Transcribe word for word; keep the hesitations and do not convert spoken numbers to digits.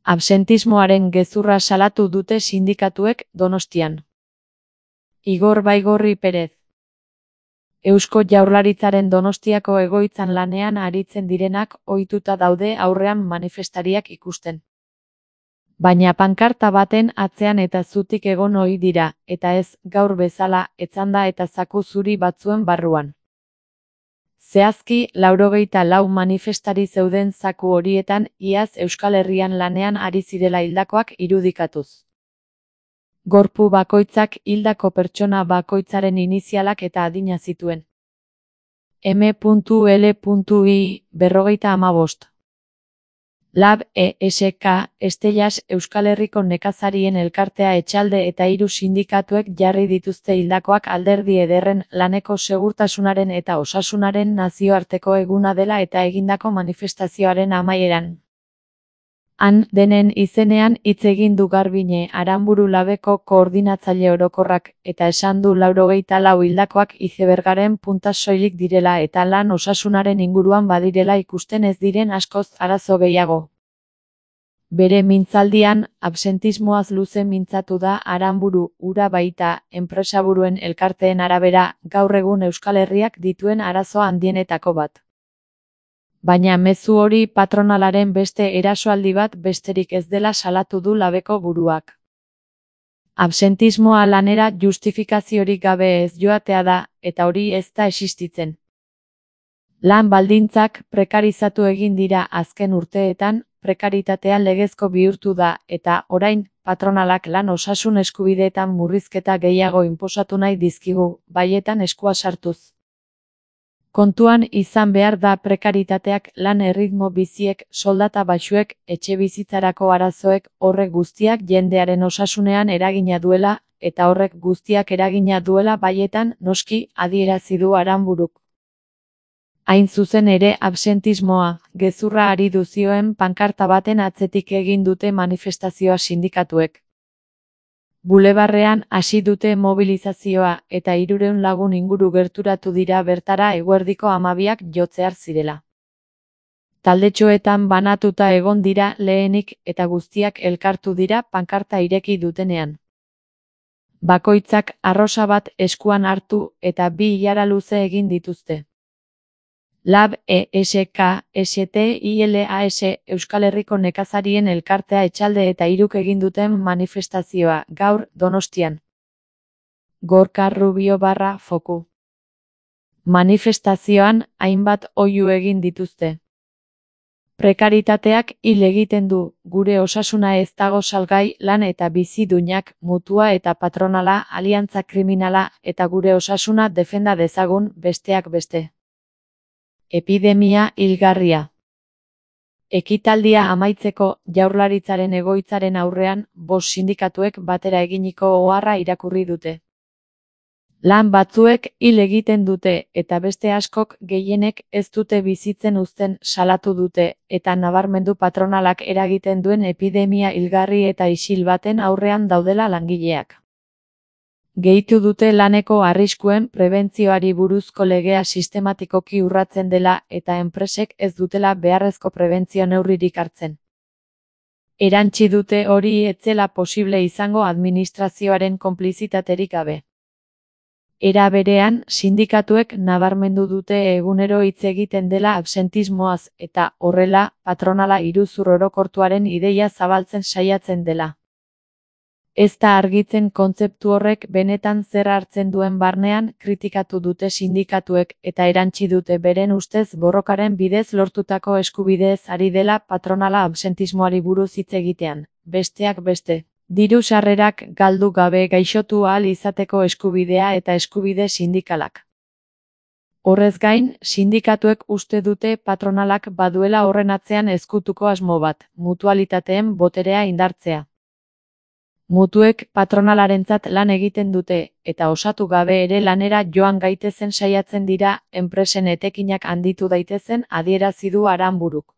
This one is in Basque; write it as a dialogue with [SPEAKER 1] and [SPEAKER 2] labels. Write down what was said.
[SPEAKER 1] Absentismoaren gezurra salatu dute sindikatuek Donostian. Igor Baigorri Perez. Eusko Jaurlaritzaren Donostiako egoitzan lanean aritzen direnak ohituta daude aurrean manifestariak ikusten. Baina pankarta baten atzean eta zutik egon ohi dira, eta ez, gaur bezala, etzanda eta zaku zuri batzuen barruan. Zehazki, laurogeita lau manifestari zeuden zaku horietan iaz Euskal Herrian lanean ari zirela hildakoak irudikatuz. Gorpu bakoitzak hildako pertsona bakoitzaren inizialak eta adina zituen. M L I berrogeita hamabost. Lab E S K Estellas Euskal Herriko nekazarien elkartea Etxalde eta hiru sindikatuek jarri dituzte hildakoak Alderdi Ederren laneko segurtasunaren eta osasunaren nazioarteko eguna dela eta egindako manifestazioaren amaieran. Han denen izenean hitz egin du Garbine Aranburu Labeko koordinatzaile orokorrak eta esan du laurogeita lau hildakoak izebergaren punta soilik direla eta lan osasunaren inguruan badirela ikusten ez diren askoz arazo gehiago. Bere mintzaldian, absentismoaz luze mintzatu da Aranburu, ura baita, enpresaburuen elkarteen arabera, gaur egun Euskal Herriak dituen arazo handienetako bat. Baina mezu hori patronalaren beste erasoaldi bat besterik ez dela salatu du Labeko buruak. Absentismoa lanera justifikaziorik gabe ez joatea da, eta hori ez da existitzen. Lan baldintzak prekarizatu egin dira azken urteetan, prekaritatea legezko bihurtu da, eta orain, patronalak lan osasun eskubideetan murrizketa gehiago inposatu nahi dizkigu, baietan eskua sartuz. Kontuan izan behar da prekaritateak lan erritmo biziek, soldata baxuek, etxe bizitzarako arazoek, horrek guztiak jendearen osasunean eragina duela, eta horrek guztiak eragina duela baietan, noski, adierazi du Aranburuk. Hain zuzen ere absentismoa, gezurra ari duzioen pankarta baten atzetik egin dute manifestazioa sindikatuek. Bulebarrean hasi dute mobilizazioa eta hirurehun lagun inguru gerturatu dira bertara eguerdiko hamabiak jotzear zirela. Taldetxoetan banatuta egon dira lehenik eta guztiak elkartu dira pankarta ireki dutenean. Bakoitzak arrosa bat eskuan hartu eta bi ilara luze egin dituzte. Lab E S K S T I L A S Euskal Herriko nekazarien elkartea Etxalde eta hiruk egin duten manifestazioa, gaur, Donostian. Gorka Rubio barra foku. Manifestazioan, hainbat oihu egin dituzte. Prekaritateak hil egiten du, gure osasuna ez dago salgai, lan eta bizi duinak, mutua eta patronala, aliantza kriminala, eta gure osasuna defenda dezagun, besteak beste. Epidemia hilgarria. Ekitaldia amaitzeko Jaurlaritzaren egoitzaren aurrean bost sindikatuek batera eginiko oharra irakurri dute. Lan batzuek hil egiten dute eta beste askok gehienek ez dute bizitzen uzten salatu dute eta nabarmendu patronalak eragiten duen epidemia hilgarri eta isil baten aurrean daudela langileak. Gehitu dute laneko arriskuen prebentzioari buruzko legea sistematikoki urratzen dela eta enpresek ez dutela beharrezko prebentzio neurririk hartzen. Erantsi dute hori ez zela posible izango administrazioaren konplizitaterik gabe. Era berean, sindikatuek nabarmendu dute egunero hitz egiten dela absentismoaz eta horrela patronala iruzur orokortuaren ideia zabaltzen saiatzen dela. Ez da argitzen kontzeptu horrek benetan zer hartzen duen barnean kritikatu dute sindikatuek eta erantsi dute beren ustez borrokaren bidez lortutako eskubideez ari dela patronala absentismoari buruz hitz egitean, besteak beste. Diru sarrerak galdu gabe gaixotu ahal izateko eskubidea eta eskubide sindikalak. Horrez gain, sindikatuek uste dute patronalak baduela horren atzean ezkutuko asmo bat, mutualitateen boterea indartzea. Mutuek patronalarentzat lan egiten dute, eta osatu gabe ere lanera joan gaitezen saiatzen dira, enpresen etekinak handitu daitezen adierazi du Aranburuk.